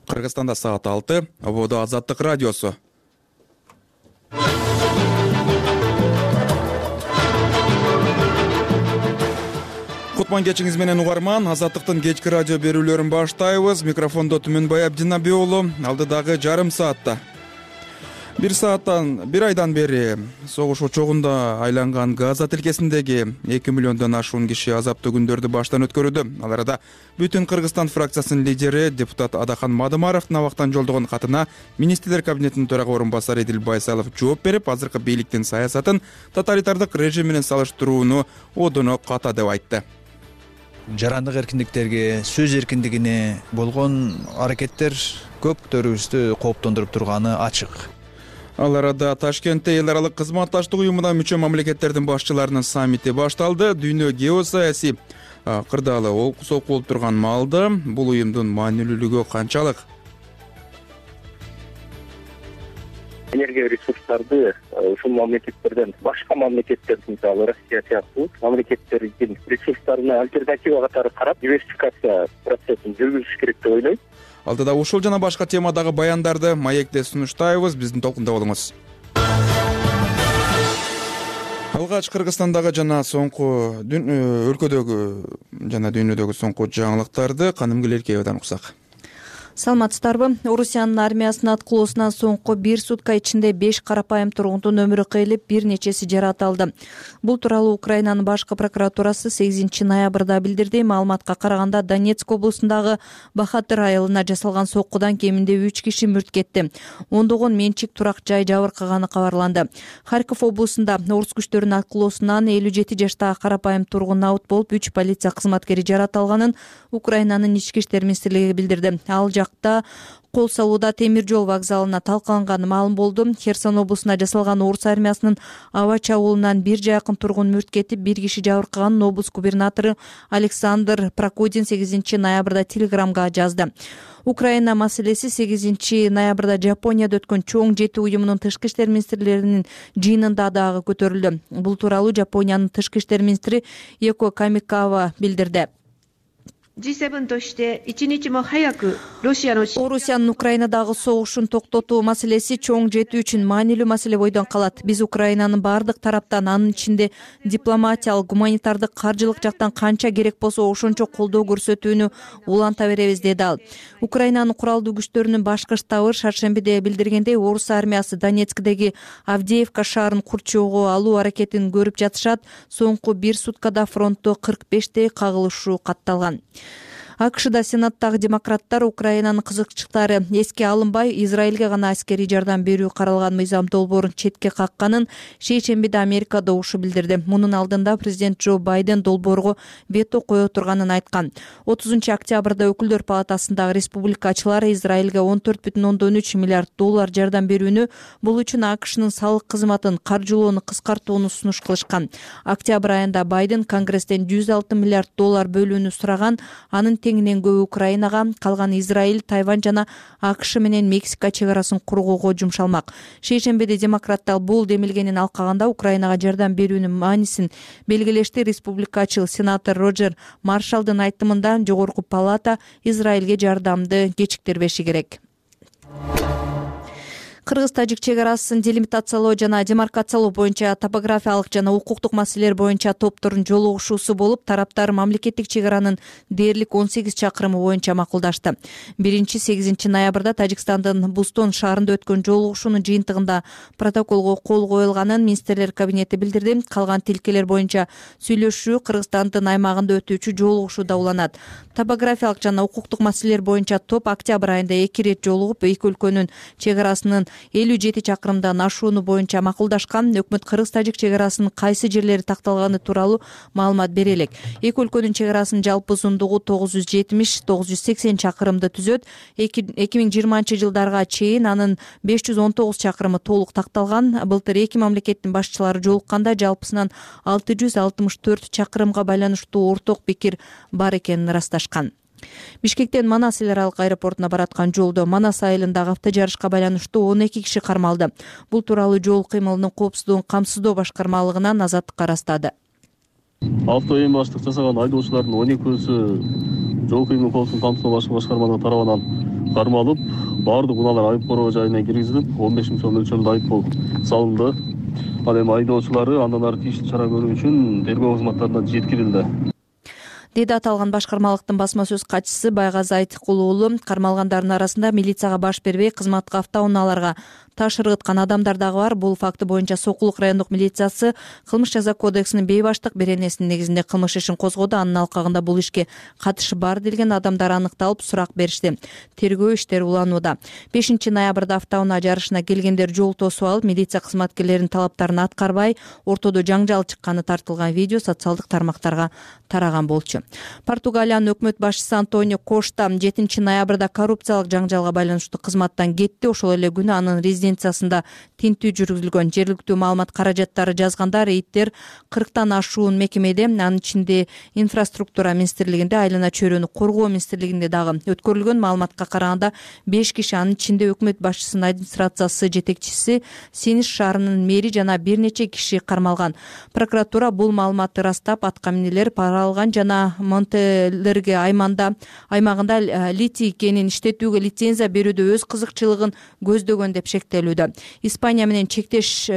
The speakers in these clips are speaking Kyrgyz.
Кыргызстанда саат 6, ободо Азаттык радиосу. Кутман кечиңиз менен угарман, Азаттыктын кечки радио берүүлөрүн баштайбыз. Микрофондо Түмөнбай Абдинабий уулу, алдыдагы жарым саатта. Бир айдан бери согуш очогунда айланган Газа тилкесиндеги 2 миллиондон ашуун киши азаптуу күндөрдү баштан өткөрүүдө. Ал арада Бүтүн Кыргызстан фракциясынын лидери депутат Адахан Мадымаровдун абактан жолдогон катына министрлер кабинетинин төрага орун басары Эдил Байсалов жооп берип, азыркы бийликтин саясатын тоталитардык режим менен салыштырууну одоно ката деп айтты. Жарандык эркиндиктерге, сөз эркиндигине болгон аракеттер көптөрүбүздү кооптондуруп турганы ачык. Ал арада Ташкентте эл аралык кызматташтык уюмуна мүчө мамлекеттердин башчыларынын саммити башталды. Дүйнө геосаясий кырдаалы олкусоок болуп турган маалда бул уюмдун маанилүүлүгү канчалык? Энергия ресурстарды ушул мамлекеттерден башка мамлекеттер, мисалы Россия сыяктуу мамлекеттердин ресурстарына альтернатива катары карап, диверсификация процессин жүргүзүш керек деп ойлойм. Алдыда ушул жана башка темадагы баяндарды маекте сунуштайбыз, биздин толкунда болуңуз. Алгач Кыргызстандагы жана соңку өлкөдөгү жана дүйнөдөгү соңку жаңылыктарды Каным Гелеркеевадан уксак. Саламатсыздарбы? Орусиянын армиясынын аткылоосунан соңку 1 сутка ичинде 5 карапайым тургундун өмүрү кыйылып, бир нечеси жаратылды. Бул тууралуу Украинанын башкы прокуратурасы 8 ноябрда билдирди. Маалыматка караганда Донецк облусундагы Бахатыр айылына жасалган соккудан кеминде 3 киши мүрт кетти. Ондогон менчик турак жай жабыркаганы кабарланды. Харьков облусунда орус күчтөрүнүн аткылоосунан 57 жаштагы карапайым тургун абут болуп, 3 полиция кызматкери жаратылганын Украинанын ички иштер министрлиги билдирди. Ал жакта кол салууда темир жол вокзалына талкаланганы маалым болду. Херсон облусунда жасалган орус армиясынын аба чабуулунан 1 жакын тургун мүрт кетип, 1 киши жабыркаганын облус губернатору Александр Прокудин 8 ноябрда телеграмга жазды. Украина маселеси 8 ноябрда Жапонияда өткөн чоң жети уюмунун тышкы иштер министрлеринин жыйынында дагы көтөрүлдү. Бул тууралуу Жапониянын тышкы иштер министри Еко Камикава билдирди. Орусиянын Украинадагы согушун токтотуу маселеси чоң жети үчүн маанилүү маселе бойдон калат. Биз Украинанын бардык тараптан, анын ичинде дипломатиялык, гуманитардык, каржылык жактан канча керек болсо ошончо колдоо көрсөтүүнү уланта беребиз, деди ал. Украинанын куралдуу күчтөрүнүн башкы штабы шаршембиде билдиргендей, орус армиясы Донецктеги Авдеевка шаарын курчоого алуу аракетин көрүп жатышат. Соңку 1 суткада фронтто 45 кагылышуу катталган. АКШда Сенаттагы демократтар Украинанын кызыкчылыктары эске алынбай, Израилге гана аскерий жардам берүү каралган мыйзам долбоорун четке какканын шейшембиде Америка добушу билдирди. Мунун алдында президент Джо Байден долбоорго вето кое турганын айткан. 30 октябрда өкүлдөр палатасындагы республикачылар Израилге $14,3 миллиард жардам берүүнү, бул үчүн АКШнын салык кызматын каржылоону кыскартууну сунуш кылышкан. Октябрь айында Байден Конгресстен $106 миллиард бөлүүнү сураган. Анын теңинен көбү Украинага, калган Израиль, Тайвань жана АКШ менен Мексика чек арасын кургоого жумшалмак. Шейшембиде демократтар бул демилгенин алкаганда Украинага жардам берүүнүн маанисин белгилешти. Республикачыл сенатор Роджер Маршалдын айтымында жогорку палата Израилге жардамды кечиктирбеши керек. Кыргыз-тажик чек арасын делимитациялоо жана демаркациялоо боюнча топографиялык жана укуктук маселелер боюнча топтордун жолугушуусу болуп, тараптар мамлекеттик чек аранын дээрлик 18 чакырымы боюнча макулдашты. 8 ноябрда Тажикстандын Бустон шаарында өткөн жолугушуунун жыйынтыгында протоколго кол коюлганын министрлер кабинети билдирди. Калган тилкелер боюнча сүйлөшүү Кыргызстандын аймагында өтүүчү жолугушууда уланат. Топографиялык жана укуктук маселелер боюнча топ октябрь айында 2 ирет жолугуп, эки өлкөнүн чек арасынын 57 чакырымдан ашууну боюнча макулдашкан. Өкмөт Кыргыз-тажик чек арасынын кайсы жерлери такталганы тууралуу маалымат бере элек. Эки өлкөнүн чек арасынын жалпы узундугу 970-980 чакырымды түзөт. 2020 жылдарга чейин анын 519 чакырымы толук такталган. Былтыр эки мамлекеттин башчылары жолукканда жалпысынан 664 чакырымга байланыштуу орток пикир бар экенин ырасташкан. Бишкектен Манас эл аралык аэропортуна бараткан жолдо Манас айылындагы автожарышка байланыштуу 12 киши кармалды. Бул тууралуу жол кыймылынын коопсуздугун камсыздоо башкармалыгынан Азаттыкка ырастады. Авто эң баштык жасаган айдоочулардын 12-сү жол кыймыл коопсуздугун камсыздоо башкармалыгы тарабынан кармалып, баардык унаалар айып короо жайына киргизилип, 15 миң сом мөлчөрүндө айыппул салынды. Ал эми айдоочулары андан ары тийиштүү чара көрүү үчүн тергөө кызматтарына жеткирилди. Деди аталган башкармалыктын басма сөз катчысы Байгазы Айтыкул уулу. Кармалгандардын арасында милицияга баш бербей кызматка автоунааларга таш ыргыткан адамдар дагы бар. Бул факты боюнча Сокулук райондук милициясы кылмыш жаза кодексинин бейбаштык беренесинин негизинде кылмыш ишин козгоду. Анын алкагында бул ишке катышы бар делген адамдар аныкталып, сурак беришти. Тергөө иштери уланууда. 5 ноябрда автоунаа жарышына келгендер жол тосуп алып, милиция кызматкерлеринин талаптарын аткарбай, ортодо жаңжал чыкканы тартылган видео социалдык тармактарга тараган болчу. Португалиянын өкмөт башчысы Антонио Кошта 7 ноябрда коррупциялык жаңжалга байланыштуу кызматтан кетти. Ошол эле күнү анын резиденциясында тинтүү жүргүзүлгөн. Жергиликтүү маалымат каражаттары жазганда рейдтер 40тан ашуун мекемеде, анын ичинде инфраструктура министрлигинде, айлана чөйрөнү коргоо министрлигинде дагы өткөрүлгөн. Маалыматка караганда 5 киши, анын ичинде өкмөт башчысынын администрациясы жетекчиси, Сениш шаарынын мэри жана бир нече киши кармалган. Прокуратура бул маалыматты ырастап, аткаминелер пара алган жана Монтелерге аймагында литий кенин иштетүүгө лицензия берүүдө өз кызыкчылыгын көздөгөн деп шектелүүдө. Испания менен чектеш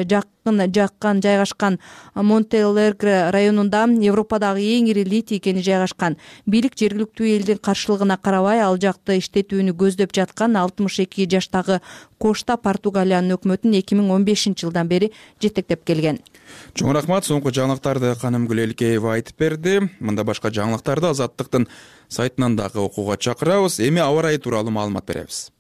жайгашкан Монтелерге районунда Европадагы эң ири литий кени жайгашкан. Бийлик жергиликтүү элдин каршылыгына карабай ал жакты иштетүүнү көздөп жаткан 62 жаштагы Кошта Португалиянын өкмөтүн 2015 жылдан бери жетектеп келген. Чоң рахмат. Соңку жаңылыктарды Каным Гүлелкеева айтып берди. Мында башка жаңылыктарды Азаттыктын сайтынан дагы окууга чакырабыз. Эми аба ырайы тууралуу маалымат беребиз.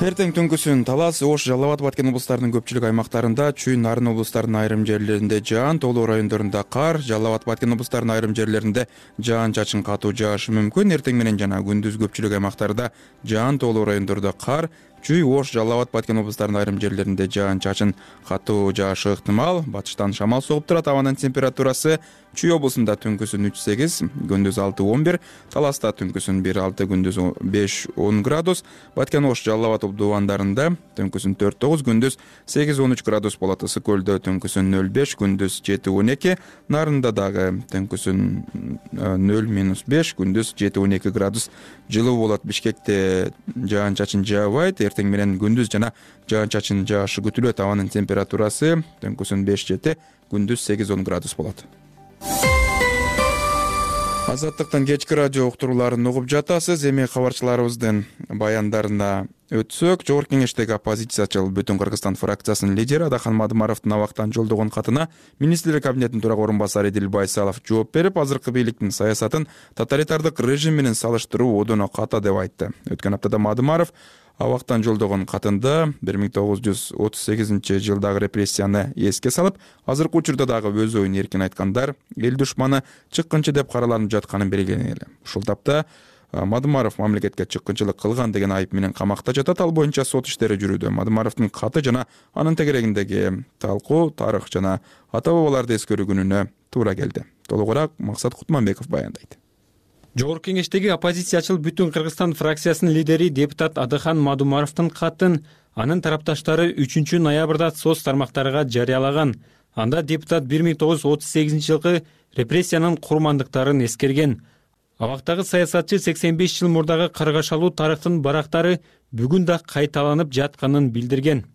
Эртең түнкүсүн Талас, Ош, Жалал Абад, Баткен облустарынын көпчүлүк аймактарында, Чүй, Нарын облустарынын айрым жерлеринде жаан, Тоолуу райондорунда кар, Жалал Абад, Баткен облустарынын айрым жерлеринде жаан чачын катуу жаашы мүмкүн. Эртең менен жана күндүз көпчүлүк аймактарда жаан, Тоолуу райондордо кар, Чүй, Ош, Жалал Абад, Баткен облустарынын айрым жерлеринде жаан чачын катуу жаашы ыктымал. Батыштан шамал согуп турат. Абанын температурасы Чүй облусунда түнкүсүн 3-8, күндүз 6-11, Таласта түнкүсүн 1-6, күндүз 5-10 градус, Баткен, Ош, Жалал Абад обдубандарында түнкүсүн 4-9, күндүз 8-13 градус болот. Ысык көлдө түнкүсүн 0-5, күндүз 7-12, Нарында дагы түнкүсүн 0-5, күндүз 7-12 градус жылуу болот. Бишкекте жаан чачын жаабайт. Эртең менен күндүз жана жаан чачын жаашы күтүлөт. Абанын температурасы түнкүсүн 5-7, күндүз 8-10 градус болот. Азаттыктын кечки радио уктурууларын угуп жатасыз. Эми кабарчыларыбыздын баяндарына өтсөк, Жогорку Кеңештеги оппозициячыл Бүтүн Кыргызстан фракциясынын лидери Адахан Мадымаровдун абактан жолдогон катына министрлер кабинетинин турак орун басары Эдил Байсалов жооп берип, азыркы бийликтин саясатын тоталитардык режим менен салыштыруу одоно ката деп айтты. Өткөн аптада Мадымаров абактан жолдогон катында 1938 жылдагы репрессияны эске салып, азыркы учурда дагы өз оюн эркин айткандар эл душманы, чыккынчы деп караланып жатканын белгилеген эле. Ушул тапта Мадымаров мамлекетке чыккынчылык кылган деген айып менен камакта жатат. Ал боюнча сот иштери жүрүүдө. Мадымаровдун каты жана анын тегерегиндеги талкуу, тарых жана ата бабаларды эскерүү күнүнө туура келди. Толугураак Максат Кутманбеков баяндайт. Жогорку Кеңештеги оппозициячыл Бүтүн Кыргызстан фракциясынын лидери депутат Адахан Мадымаровдун катын анын тарапташтары 3 ноябрда соц тармактарга жарыялаган. Анда депутат 1938 жылкы репрессиянын курмандыктарын эскерген. Абактагы саясатчы 85 жыл мурдагы каргашалуу тарыхтын барактары бүгүн да кайталанып жатканын билдирген.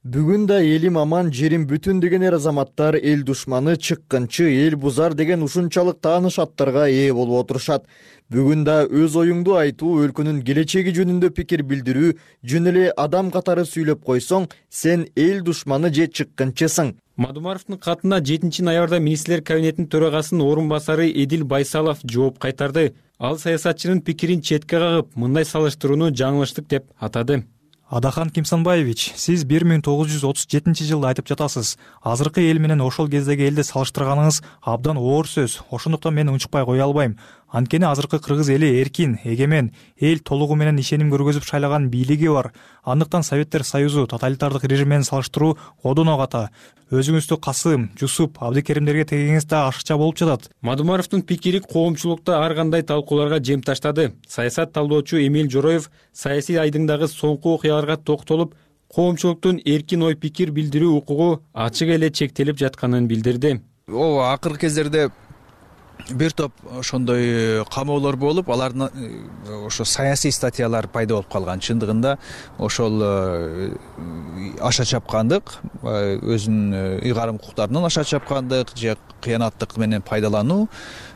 Бүгүн да элим аман, жерим бүтүн деген эр азаматтар эл душманы, чыккынчы, эл бузар деген ушунчалык тааныш аттарга ээ болуп отурушат. Бүгүн да өз оюңду айтуу, өлкөнүн келечеги жөнүндө пикир билдирүү, жөн эле адам катары сүйлөп койсоң, сен эл душманы же чыккынчысың. Мадымаровдун катына 7 ноябрда министрлер кабинетинин төрагасынын орун басары Эдил Байсалов жооп кайтарды. Ал саясатчынын пикирин четке кагып, мындай салыштырууну жаңылыштык деп атады. Адахан Кимсанбаевич, сиз 1937 жылда айтып жатасыз. Азыркы эл менен ошол кездеги элди салыштырганыңыз абдан оор сөз. Ошондуктан мен унчукпай кое албайм. Анткени азыркы кыргыз эли эркин, эгемен, эл толугу менен ишеним көргөзүп шайлаган бийлиги бар. Андыктан Советтер Союзу тоталитардык режим менен салыштыруу одоно ката. Өзүңүздү Касым, Жусуп, Абдыкеримдерге тегеңиз да ашыкча болуп жатат. Мадымаровдун пикири коомчулукта ар кандай талкууларга жем таштады. Саясат талдоочу Эмил Жороев саясий айдыңдагы соңку окуяларга токтолуп, коомчулуктун эркин ой пикир билдирүү укугу ачык эле чектелип жатканын билдирди. Акыркы кездерде бир топ ошондой камоолор болуп, алардын ошо саясий статьялар пайда болуп калган. Чындыгында ошол аша чапкандык, өзүнүн ыйгарым укуктарынан аша чапкандык же кыянаттык менен пайдалануу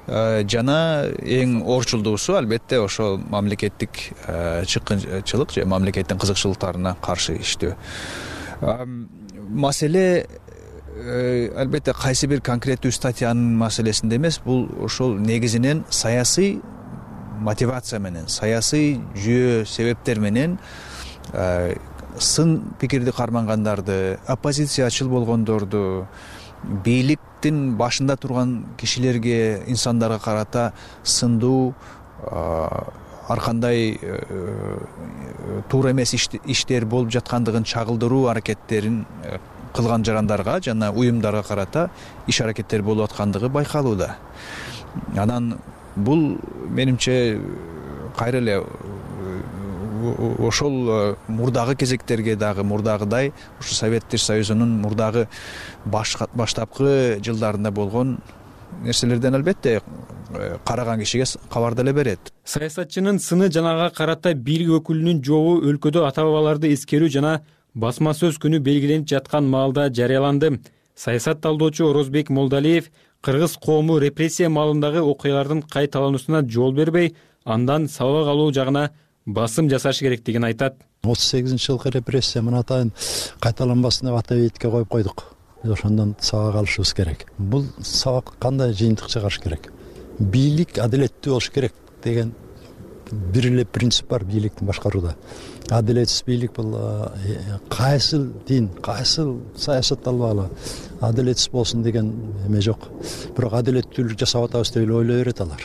жана эң орчулдуусу албетте ошол мамлекеттик чыккынчылык же мамлекеттин кызыкчылыктарына каршы иштөө. Маселе албетте кайсы бир конкреттүү статьянын маселесинде эмес, бул ошол негизинен саясий мотивация менен, саясий жүйө себептер менен сын пикирди кармангандарды, оппозициячыл болгондорду, бийликтин башында турган кишилерге, инсандарга карата сындуу, ар кандай туура эмес иштер болуп жаткандыгын чагылдыруу аракеттерин кылган жарандарга жана уюмдарга карата иш аракеттер болуп аткандыгы байкалууда. Анан бул менимче кайра эле ошол мурдагы кезектерге дагы мурдагыдай ушу Советтер Союзунун мурдагы баштапкы жылдарында болгон нерселерден албетте караган кишиге кабар деле берет. Саясатчынын сыны жанага карата бийлик өкүлүнүн жообу өлкөдө ата бабаларды эскерүү жана басма сөз күнү белгиленип жаткан маалда жарыяланды. Саясат талдоочу Орозбек Молдалиев кыргыз коому репрессия маалындагы окуялардын кайталануусуна жол бербей, андан сабак алуу жагына басым жасаш керектигин айтат. 38-жылкы репрессия мына атайын кайталанбасын деп ата бейитке коюп койдук. Ошондон сабак алышыбыз керек. Бул сабак кандай жыйынтык чыгарыш керек? Бийлик адилеттүү болуш керек деген бир эле принцип бар бийликтин башкарууда. Адилетсиз бийлик бул кайсыл дин, кайсыл саясат албагыла адилетсиз болсун деген эме жок. Бирок адилеттүүлүк жасап атабыз деп эле ойлой берет алар.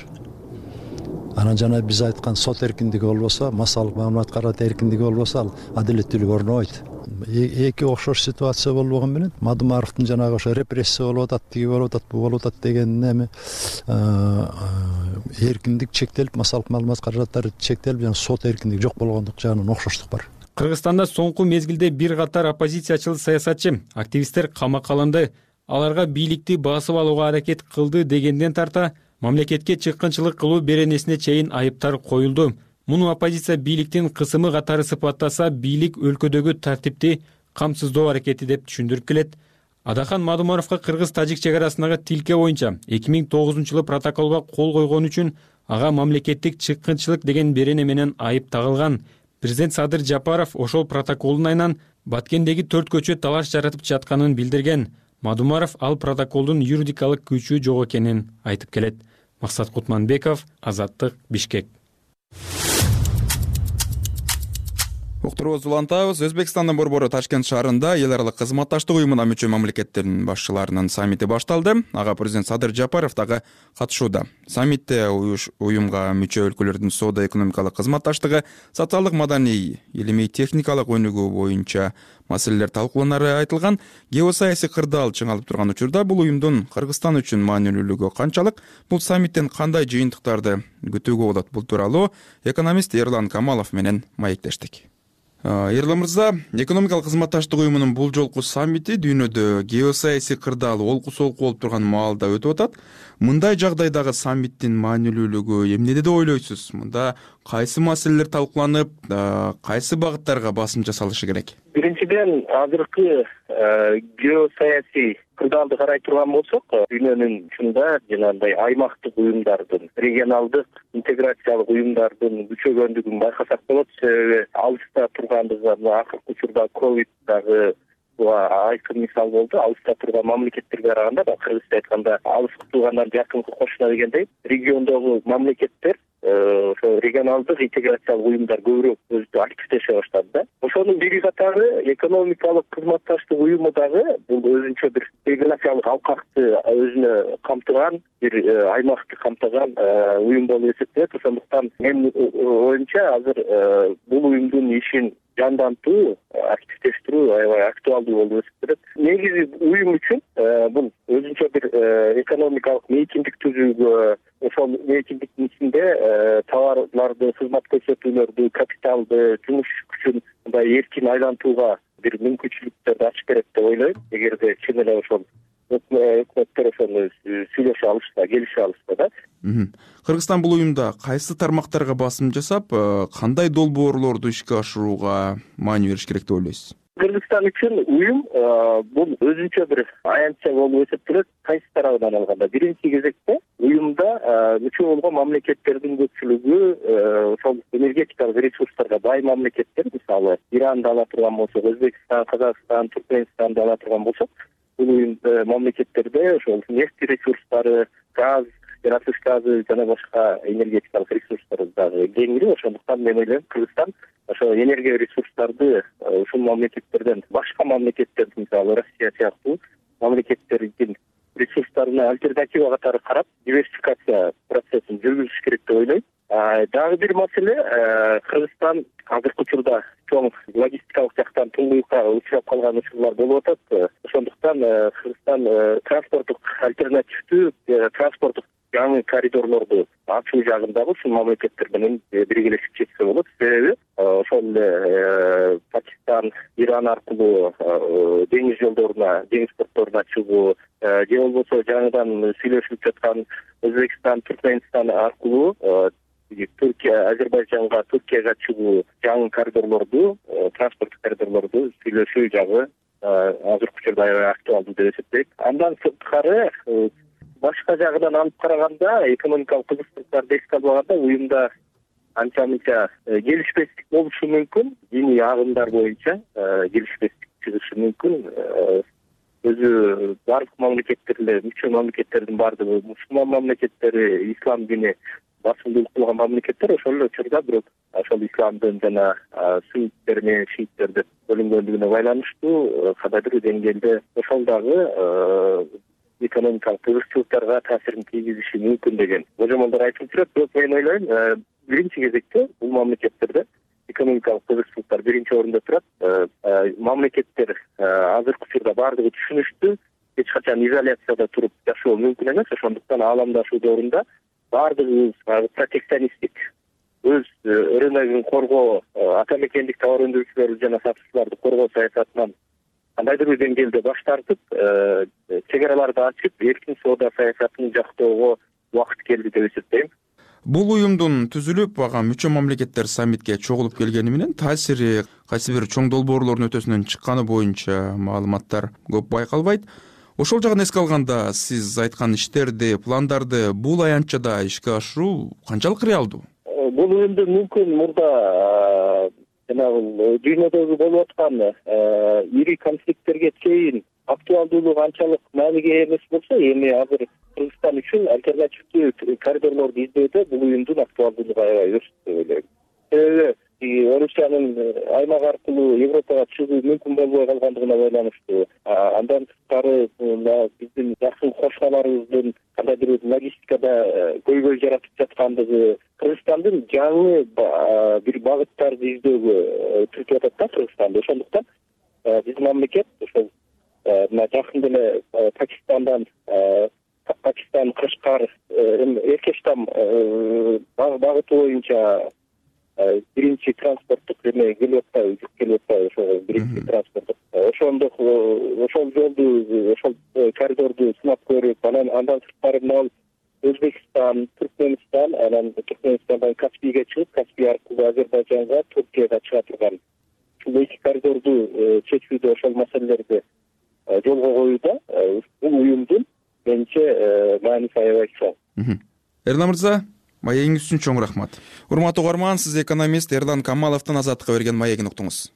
Анан жана биз айткан сот эркиндиги болбосо, массалык маалымат карат эркиндиги болбосо, ал адилеттүүлүк орнобойт. Эки окшош ситуация болгон менен Мадумаровдун жанагы ошо репрессия болуп атат, тиги болуп атат, бу болуп атат деген эме эркиндик чектелип, массалык маалымат каражаттары чектелип, жана сот эркиндиги жок болгондук жагынан окшоштук бар. Кыргызстанда соңку мезгилде бир катар оппозициячыл саясатчы, активисттер камакка алынды. Аларга бийликти басып алууга аракет кылды дегенден тарта мамлекетке чыккынчылык кылуу беренесине чейин айыптар коюлду. Муну оппозиция бийликтин кысымы катары сыпаттаса, бийлик өлкөдөгү тартипти камсыздоо аракети деп түшүндүрүп келет. Адахан Мадумаровго кыргыз-тажик чек арасындагы тилке боюнча 2009-жылы протоколго кол койгон үчүн ага мамлекеттик чыккынчылык деген берене менен айып тагылган. Президент Садыр Жапаров ошол протоколдун айынан Баткендеги 4 көчө талаш жаратып жатканын билдирген. Мадумаров ал протоколдун юридикалык күчү жок экенин айтып келет. Максат Кутманбеков, Азаттык, Бишкек. Уктурубузду улантабыз. Өзбекстандын борбору Ташкент шаарында эл аралык кызматташтык уюмуна мүчө мамлекеттердин башчыларынын саммити башталды. Ага президент Садыр Жапаров дагы катышууда. Саммитте уюмга мүчө өлкөлөрдүн соода-экономикалык кызматташтыгы, социалдык, маданий, илимий, техникалык өнүгүү боюнча маселелер талкууланары айтылган. Геосаясий кырдаал чыңалып турган учурда бул уюмдун Кыргызстан үчүн маанилүүлүгү канчалык, бул саммиттен кандай жыйынтыктарды күтүүгө болот? Бул тууралуу экономист Эрлан Камалов менен маектештик. Эрлан мырза, экономикалык кызматташтык уюмунун бул жолку саммити дүйнөдө геосаясий кырдаал олку-солку болуп турган маалда өтүп атат. Мындай жагдайдагы саммиттин маанилүүлүгү эмнеде деп ойлойсуз? Мында кайсы маселелер талкууланып, кайсы багыттарга басым жасалышы керек? Биринчиден, азыркы геосаясий кырдаалды карай турган болсок, дүйнөнүн чында жанагындай аймактык уюмдардын, регионалдык интеграциялык уюмдардын күчөгөндүгүн байкасак болот. Себеби алыста тургандыгы, акыркы учурда ковид дагы айкын мисал болду. Алыста турган мамлекеттерге караганда, кыргызча айтканда, алыскы туугандар жакынкы кошуна дегендей, региондогу мамлекеттер ошо регионалдык интеграциялык уюмдар көбүрөөк өзү активдеше баштады да. Ошонун бири катары экономикалык кызматташтык уюму дагы бул өзүнчө бир географиялык алкакты өзүнө камтыган, бир аймакты камтыган уюм болуп эсептелет. Ошондуктан менин оюмча азыр бул уюмдун ишин жандантуу, активдештирүү аябай актуалдуу болуп эсептелет. Негизи уюм үчүн бул өзүнчө бир экономикалык мейкиндик түзүүгө, ошол мейкиндиктин ичинде товарларды, кызмат көрсөтүүлөрдү, капиталды, жумуш күчүн мындай эркин айлантууга бир мүмкүнчүлүктөрдү ачып берет деп ойлойм. Эгерде чын эле ошол өкмөттөр ошону сүйлөшө алышса, келише алышса да. Кыргызстан бул уюмда кайсы тармактарга басым жасап, кандай долбоорлорду ишке ашырууга маани бериш керек деп ойлойсуз? Кыргызстан үчүн уюм бул өзүнчө бир аянтча болуп эсептелет. Кайсы тарабынан алганда, биринчи кезекте уюмда мүчө болгон мамлекеттердин көпчүлүгү ошол энергетикалык ресурстарга бай мамлекеттер, мисалы Иранды ала турган болсок, Өзбекстан, Казакстан, Туркменистанды ала турган болсок, бул уюмда мамлекеттерде ошол нефть ресурстары, газ, жаратылыш газы жана башка энергетикалык ресурстар дагы кеңири. Ошондуктан мен ойлойм, Кыргызстан ошо энергия ресурстарды ушул мамлекеттерден, башка мамлекеттердин, мисалы Россия сыяктуу мамлекеттердин ресурстарына альтернатива катары карап, диверсификация процессин жүргүзүш керек деп ойлойм. Дагы бир маселе, Кыргызстан азыркы учурда чоң логистикалык жактан туңгуюкка учурап калган учурлар болуп атат. Ошондуктан Кыргызстан транспорттук альтернативдүү транспорттук жаңы коридорлорду ачуу жагындагы ушул мамлекеттер менен биргелешип чечсе болот. Себеби ошол эле Пакистан, Иран аркылуу деңиз жолдоруна, деңиз портторуна чыгуу же болбосо жаңыдан сүйлөшүлүп жаткан Өзбекстан, Туркменистан аркылуу Түркия, Азербайжанга, Түркияга чыгуу жаңы коридорлорду, транспорттук коридорлорду сүйлөшүү жагы азыркы учурда аябай актуалдуу деп эсептейт. Андан сырткары башка жагынан алып караганда, экономикалык кызыкчылыктарды эске албаганда уюмда анча-мынча келишпестик болушу мүмкүн. Диний агымдар боюнча келишпестик чыгышы мүмкүн. Өзү бардык мамлекеттерде, мүчө мамлекеттердин бардыгы мусулман мамлекеттери, ислам дини басымдуулук кылган мамлекеттер. Ошол эле учурда бирок ошол исламдын жана сунниттер менен шииттер деп бөлүнгөндүгүнө байланыштуу кандайдыр деңгээлде ошол дагы экономикалык кызыкчылыктарга таасирин тийгизиши мүмкүн деген божомолдор айтылып турат. Бирок мен ойлойм, биринчи кезекте бул мамлекеттерде экономикалык кызыкчылыктар биринчи орунда турат. Мамлекеттер азыркы учурда бардыгы түшүнүштүү, эч качан изоляцияда туруп жашоо мүмкүн эмес. Ошондуктан ааламдашуу доорунда бардыгыбыз протекционисттик, өз рыногун коргоо, ата мекендик товар өндүрүүчүлөрдү жана сатуучуларды коргоо саясатынан кандайдыр бир деңгээлде баш тартып, чек араларды ачып, эркин соода саясатын жактоого убакыт келди деп эсептейм. Бул уюмдун түзүлүп, ага мүчө мамлекеттер саммитке чогулуп келгени менен таасири кайсы бир чоң долбоорлордун өтөсүнөн чыкканы боюнча маалыматтар көп байкалбайт. Ошол жагын эске алганда, сиз айткан иштерди, пландарды бул аянтчада ишке ашыруу канчалык реалдуу? Бул уюмду мүмкүн мурда жанагы дүйнөдөгү болуп аткан ири конфликттерге чейин актуалдуулугу анчалык мааниге ээ эмес болсо, эми азыр Кыргызстан үчүн альтернативдүү коридорлорду издөөдө бул уюмдун актуалдуулугу аябай өстү деп ойлойм. Себеби Орусиянын аймак аркылуу Европага чыгуу мүмкүн болбой калгандыгына байланыштуу. Андан сырткары биздин жакын кошуналарыбыздын кандайдыр бир логистикада көйгөй жаратып жаткандыгы, Кыргызстандын жаңы бир багыттарды издөөгө түртүп атат да Кыргызстанды. Ошондуктан биздин мамлекет ошол жакында эле Пакистан, Кашкар, Эркештам багыты боюнча биринчи транспорттук эме келип атпайбы, жүк келип атпайбы, ошол биринчи транспорттук. Ошол жолду, ошол коридорду сынап көрүп, андан сырткары мына Өзбекстан, Туркменистан, анан Туркменистандан Каспийге чыгып, Каспий аркылуу Азербайжанга, Туркияга чыга турган ушул эки коридорду чечүүдө ошол маселелерди жолго коюуда бул уюмдун менимче мааниси аябай чоң. Эрлан мырза, маегиңиз үчүн чоң рахмат. Урматтуу угарман, сиз экономист Эрлан Камаловдун Азаттыкка берген маегин уктуңуз.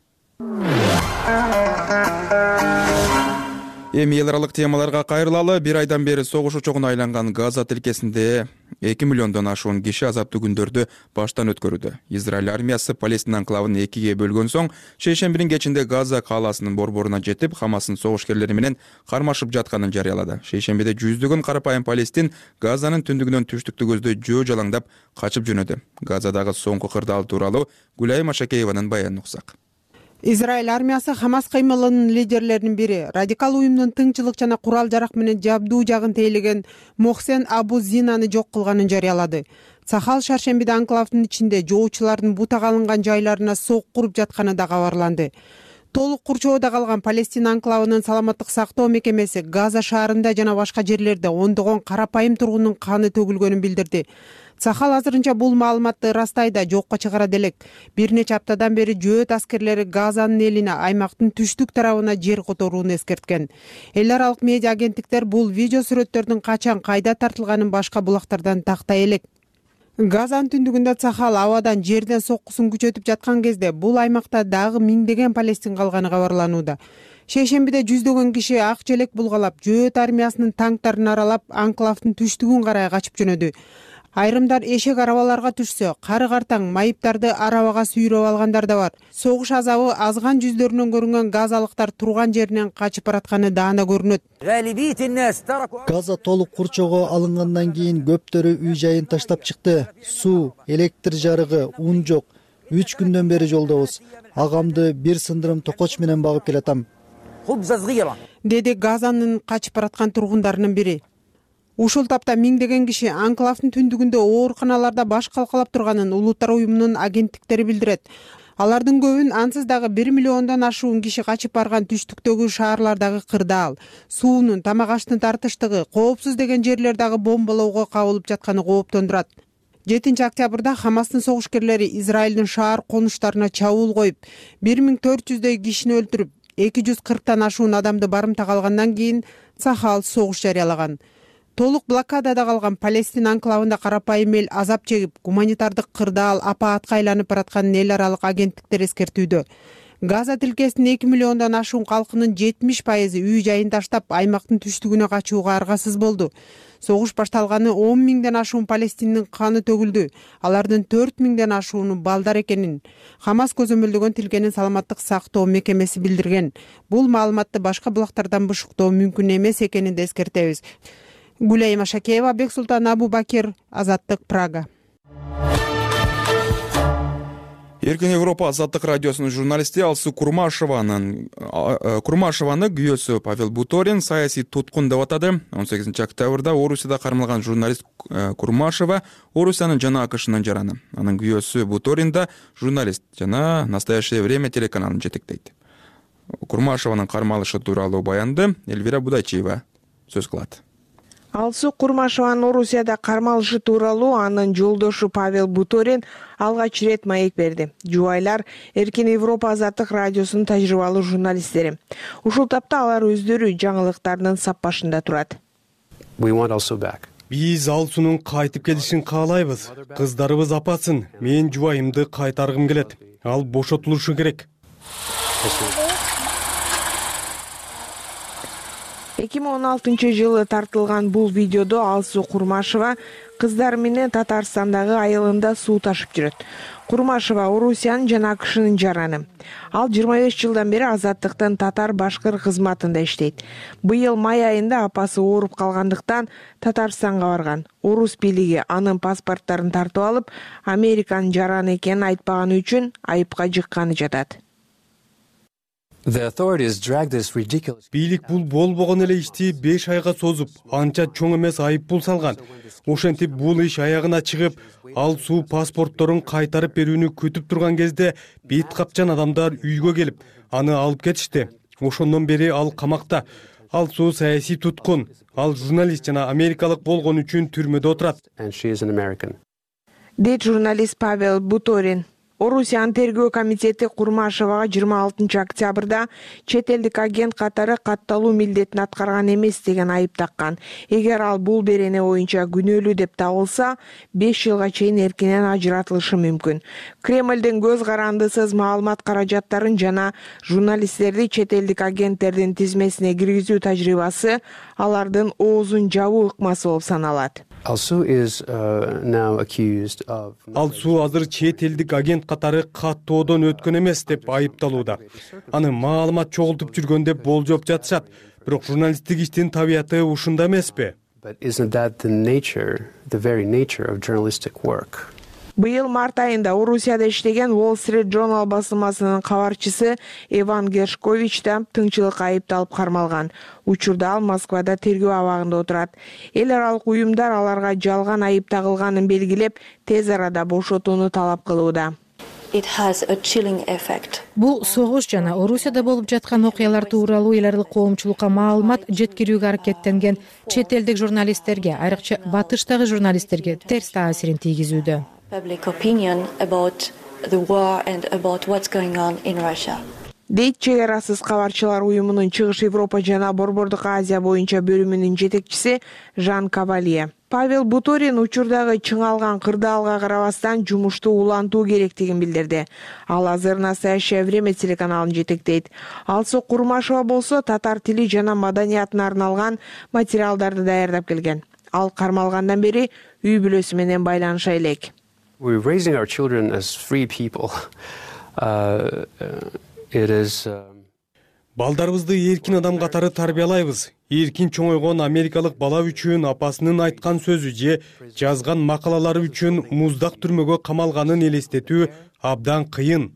Эми эл аралык темаларга кайрылалы. Бир айдан бери согуш очогуна айланган Газа тилкесинде 2 миллиондон ашуун киши азаптуу күндөрдү баштан өткөрүүдө. Израиль армиясы Палестина анклавын экиге бөлгөн соң, шейшембинин кечинде Газа кааласынын борборуна жетип, Хамастын согушкерлери менен кармашып жатканын жарыялады. Шейшембиде жүздөгөн карапайым палестин Газанын түндүгүнөн түштүктү көздөй жөө жалаңдап качып жөнөдү. Газадагы соңку кырдаал тууралуу Гүлай Машакееванын баянын уксак. Израиль армиясы Хамас кыймылынын лидерлеринин бири, радикал уюмдун тыңчылык жана курал-жарак менен жабдуу жагын тейлеген Мохсен Абу Зинаны жок кылганын жарыялады. Сахал шаршембиде анклавдын ичинде жоочулардын бутак алынган жайларына сок куруп жатканы да кабарланды. толук курчоодо калган Палестина анклавынын саламаттык сактоо мекемеси Газа шаарында жана башка жерлерде ондогон карапайым тургундун каны төгүлгөнүн билдирди. Цахал азырынча бул маалыматты ырастайда жокко чыгара делек. Бир нече аптадан бери жөөт аскерлери Газанын элине аймактын түштүк тарабына жер которууну эскерткен. Эл аралык медиа агенттиктер бул видео сүрөттөрдүн качан кайда тартылганын башка булактардан тактай элек. Газанын түндүгүндө Цахал абадан жерден соккусун күчөтүп жаткан кезде бул аймакта дагы миңдеген палестин калганы кабарланууда. Шейшембиде жүздөгөн киши ак желек булгалап, жөөт армиясынын танктарын аралап, анклавдын түштүгүн карай качып жөнөдү. Айрымдар эшек арабаларга түшсө, кары картаң майыптарды арабага сүйрөп алгандар да бар. Согуш азабы азган жүздөрүнөн көрүнгөн газалыктар турган жеринен качып баратканы даана көрүнөт. Газа толук курчоого алынгандан кийин көптөрү үй жайын таштап чыкты. Суу, электр жарыгы, ун жок. 3 күндөн бери жолдобуз. Агамды бир сындырым токоч менен багып келатам, деди Газанын качып бараткан тургундарынын бири. Ушул тапта миңдеген киши анклавдын түндүгүндө ооруканаларда баш калкалап турганын Улуттар уюмунун агенттиктери билдирет. Алардын көбүн ансыз дагы 1 миллиондон ашуун киши качып барган түштүктөгү шаарлардагы кырдаал, суунун, тамак аштын тартыштыгы, коопсуз деген жерлер дагы бомбалоого кабылып жатканы кооптондурат. 7 октябрда Хамастын согушкерлери Израилдин шаар конуштарына чабуул коюп, 1400дөй кишини өлтүрүп, 240тан ашуун адамды барымтага алгандан кийин Цахал согуш жарыялаган. Толук блокадада калган Палестина анклавында карапайым эл азап чегип, гуманитардык кырдаал апаатка айланып баратканын эл аралык агенттиктер эскертүүдө. Газа тилкесинин 2 миллиондон ашуун калкынын 70% үй жайын таштап, аймактын түштүгүнө качууга аргасыз болду. Согуш башталганы 10 миңден ашуун палестиндин каны төгүлдү. Алардын 4 миңден ашууну балдар экенин Хамас көзөмөлдөгөн тилкенин саламаттык сактоо мекемеси билдирген. Бул маалыматты башка булактардан бышыктоо мүмкүн эмес экенин да эскертебиз. Гулейма Шакеева, Бексултан Абубакир, Азаттык, Прага. Эркин Европа Азаттык радиосунун журналисти Алсу Курмашеваны күйөөсү Павел Буторин саясий туткун деп атады. 18 октябрда Орусияда кармалган журналист Курмашева Орусиянын жана АКШнын жараны. Анын күйөөсү Буторин да журналист жана Настоящее время телеканалын жетектейт. Курмашеванын кармалышы тууралуу баянды Эльвира Будайчиева сөз кылат. Алсу Курмашеванын Орусияда кармалышы тууралуу анын жолдошу Павел Буторин алгач рет маек берди. Жубайлар Эркин Европа Азаттык радиосунун тажрыйбалуу журналисттери. Ушул тапта алар өздөрү жаңылыктардын сап башында турат. Биз Алсунун кайтып келишин каалайбыз. Кыздарыбыз апасын. Мен жубайымды кайтаргым келет. Ал бошотулушу керек. 2016-жылы тартылган бул видеодо Алсу Курмашева кыздары менен Татарстандагы айылында суу ташып жүрөт. Курмашева Орусиянын жана АКШнын жараны. Ал 25 жылдан бери Азаттыктын татар-башкыр кызматында иштейт. Быйыл май айында апасы ооруп калгандыктан Татарстанга барган. Орус бийлиги анын паспорттарын тартып алып, Американын жараны экенин айтпаганы үчүн айыпка жыкканы жатат. Бийлик бул болбогон эле ишти 5 айга созуп, анча чоң эмес айыппул салган. Ошентип бул иш аягына чыгып, Алсу паспортторун кайтарып берүүнү күтүп турган кезде бет капчан адамдар үйгө келип, аны алып кетишти. Ошондон бери ал камакта. Алсу саясий туткун. Ал журналист жана америкалык болгон үчүн түрмөдө отурат. Дейт журналист Павел Буторин. Орусиянын тергөө комитети Курмашевага 26 октябрда чет элдик агент катары катталуу милдетин аткарган эмес деген айып таккан. Эгер ал бул берене боюнча күнөөлүү деп табылса, 5 жылга чейин эркинен ажыратылышы мүмкүн. Кремлдин көз карандысыз маалымат каражаттарын жана журналисттерди чет элдик агенттердин тизмесине киргизүү тажрыйбасы алардын оозун жабуу ыкмасы болуп саналат. Алсу азыр чет элдик агент катары каттоодон өткөн эмес деп айыпталууда. Аны маалымат чогултуп жүргөн деп болжоп жатышат. Бирок журналисттик иштин табияты ушунда эмеспи? Быйыл март айында Орусияда иштеген Wall Street Journal басылмасынын кабарчысы Иван Гершкович да тыңчылыкка айыпталып кармалган. Учурда ал Москвада тергөө абагында отурат. Эл аралык уюмдар аларга жалган айып тагылганын белгилеп, тез арада бошотууну талап кылууда. Бул согуш жана Орусияда болуп жаткан окуялар тууралуу эл аралык коомчулукка маалымат жеткирүүгө аракеттенген чет элдик журналисттерге, айрыкча батыштагы журналисттерге терс таасирин тийгизүүдө. Дейт чек арасыз кабарчылар уюмунун Чыгыш Европа жана Борбордук Азия боюнча бөлүмүнүн жетекчиси Жан Кавалье. Павел Буторин учурдагы чыңалган кырдаалга карабастан жумушту улантуу керектигин билдирди. Ал азыр «Настоящее время» телеканалын жетектейт. Алсу Курмашева болсо татар тили жана маданиятына арналган материалдарды даярдап келген. Ал кармалгандан бери үй бүлөсү менен байланыша элек. Балдарыбызды эркин адам катары тарбиялайбыз. Эркин чоңойгон америкалык бала үчүн апасынын айткан сөзү же жазган макалалары үчүн муздак түрмөгө камалганын элестетүү абдан кыйын.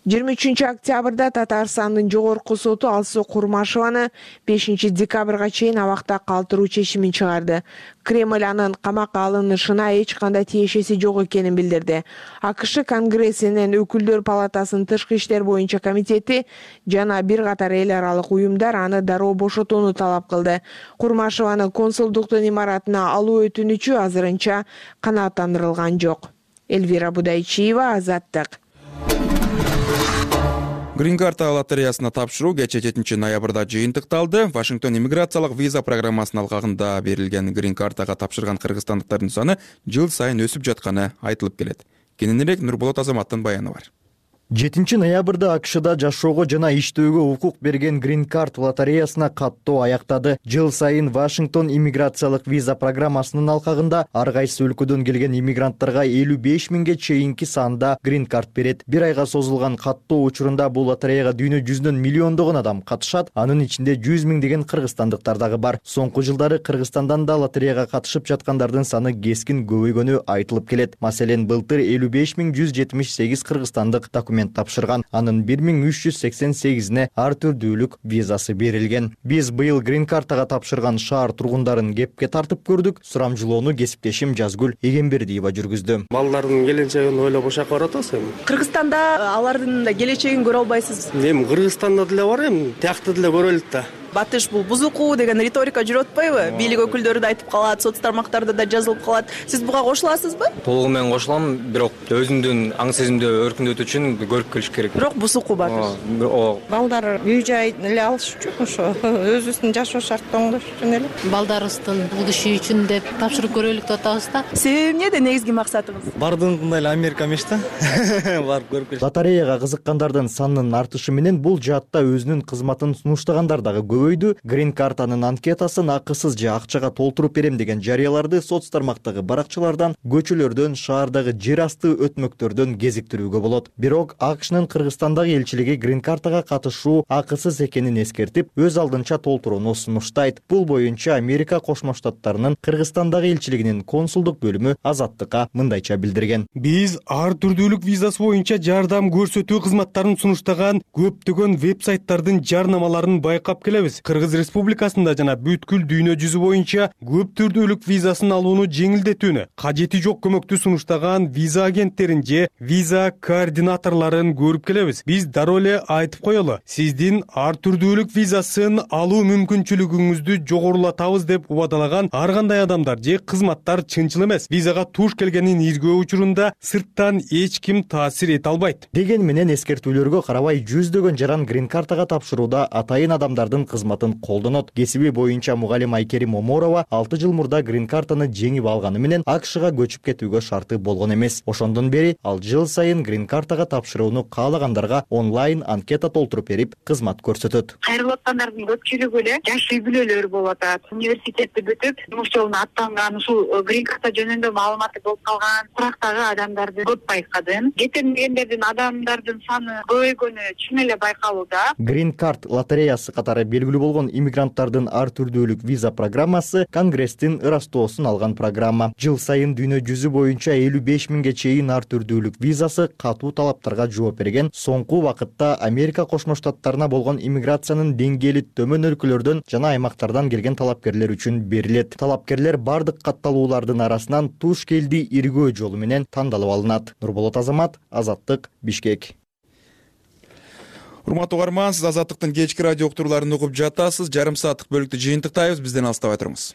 23 октябрда Татарстандын жогорку соту Алсу Курмашеваны 5 декабрга чейин абакта калтыруу чечимин чыгарды. Кремль анын камакка алынышына эч кандай тиешеси жок экенин билдирди. АКШ Конгрессинин Өкүлдөр палатасынын тышкы иштер боюнча комитети жана бир катар эл аралык уюмдар аны дароо бошотууну талап кылды. Курмашеваны консулдуктун имаратына алуу өтүнүчү азырынча канааттандырылган жок. Эльвира Будайчиева, Азаттык. Green Card лотереясына тапшыруу кечээ 7 ноябрда жыйынтыкталды. Вашингтон иммиграциялык виза программасынын алкагында берилген Green Card'га тапшырган кыргызстандыктардын саны жыл сайын өсүп жатканы айтылып келет. Кененирээк Нурболот Азаматтын баяны бар. 7 ноябрда АКШда жашоого жана иштөөгө укук берген Green Card лотереясына каттоо аяктады. Жыл сайын Вашингтон иммиграциялык виза программасынын алкагында ар кайсы өлкөдөн келген иммигранттарга 55 миңге чейинки санда Green Card берет. Бир айга созулган каттоо учурунда бул лотереяга дүйнө жүзүнөн миллиондогон адам катышат. Анын ичинде 100 миң деген кыргызстандыктар дагы бар. Соңку жылдары Кыргызстандан да лотереяга катышып жаткандардын саны кескин көбөйгөнү айтылып келет. Маселен, былтыр 55.178 кыргызстандык документ тапшырган. Анын 1388-не ар түрдүүлүк визасы берилген. Биз быйыл Green Card'га тапшырган шаар тургундарын кепке тартып көрдүк. Сурамжылоону кесиптешим Жазгүл Эгембердиева жүргүздү. Балдардын келечегин ойлоп ошакка барат атасыз. Кыргызстанда алардын да келечегин көрө албайсыз. Эми Кыргызстанда деле бар, эми тиякты деле көрөлүт да. Батыш бул бузуку деген риторика жүрүп атпайбы? Бийлик өкүлдөрү да айтып калат, соц тармактарда да жазылып калат. Сиз буга кошуласызбы? Толугу менен кошулам, бирок өзүмдүн аң сезимди өркүндөтүү үчүн көрүп келиш керек. Бирок бузуку Батыш. Балдар үй жай эле алыш үчүн ошо өзүбүздүн жашоо шарттын оңдош үчүн эле. Балдарыбыздын будущий үчүн деп тапшырып көрөлүк деп атабыз да. Себеби эмнеде негизги максатыңыз? Бардыгында эле Америка эмес да. Барып көрүп келиш. Лотереяга кызыккандардын санынын артышы менен бул жаатта өзүнүн кызматын сунуштагандар дагы көбөйдү. Green Card'нын анкетасын акысыз же акчага толтуруп берем деген жарыяларды соц тармактагы баракчылардан, көчөлөрдөн, шаардагы жер асты өтмөктөрдөн кезиктирүүгө болот. Бирок АКШнын Кыргызстандагы элчилиги Green Card'га катышуу акысыз экенин эскертип, өз алдынча толтурууну сунуштайт. Бул боюнча Америка Кошмо Штаттарынын Кыргызстандагы элчилигинин консулдук бөлүмү Азаттыкка мындайча билдирген. Биз ар түрдүүлүк визасы боюнча жардам көрсөтүү кызматтарын сунуштаган көптөгөн веб-сайттардын жарнамаларын байкап келебиз. Кыргыз Республикасында жана бүткүл дүйнө жүзү боюнча көп түрдүүлүк визасын алууну жеңилдетүүнү, кажети жок көмөктү сунуштаган виза агенттерин же виза координаторлорун көрүп келебиз. Биз дароо эле айтып коелу, сиздин ар түрдүүлүк визасын алуу мүмкүнчүлүгүңүздү жогорулатабыз деп убадалаган ар кандай адамдар же кызматтар чынчыл эмес. Визага туш келгенин иргөө учурунда сырттан эч ким таасир эте албайт. Деген менен эскертүүлөргө карабай жүздөгөн жаран Green Card'га тапшырууда атайын адамдардын кызматын колдонот. Кесиби боюнча мугалим Айкерим Оморова 6 жыл мурда Green Card'ны жеңип алганы менен АКШга көчүп кетүүгө шарты болгон эмес. Ошондон бери ал жыл сайын Green Card'га тапшырууну каалагандарга онлайн анкета толтуруп берип, кызмат көрсөтөт. Кайрылып аткандардын көпчүлүгү эле жаш үй бүлөлөр болуп атат. Университетти бүтүп, жумуш жолуна аттанган, ушул Green Card жөнүндө маалыматы болуп калган сурактагы адамдарды көп байкадым. Кетирмегендердин адамдардын саны көбөйгөнү чын эле байкалууда. Green Card лотереясы катары белгилүү белгилүү болгон иммигранттардын ар түрдүүлүк виза программасы Конгресстин ырастоосун алган программа. Жыл сайын дүйнө жүзү боюнча 55 миңге чейин ар түрдүүлүк визасы катуу талаптарга жооп берген. Соңку вакытта Америка Кошмо Штаттарына болгон иммиграциянын деңгээли төмөн өлкөлөрдөн жана аймактардан келген талапкерлер үчүн берилет. Талапкерлер бардык катталуулардын арасынан туш келди иргөө жолу менен тандалып алынат. Нурболот Азамат, Азаттык, Бишкек. Урматтуу угарман, сиз Азаттыктын кечки радио уктурууларын угуп жатасыз. Жарым сааттык бөлүктү жыйынтыктайбыз. Бизден алыстабай туруңуз.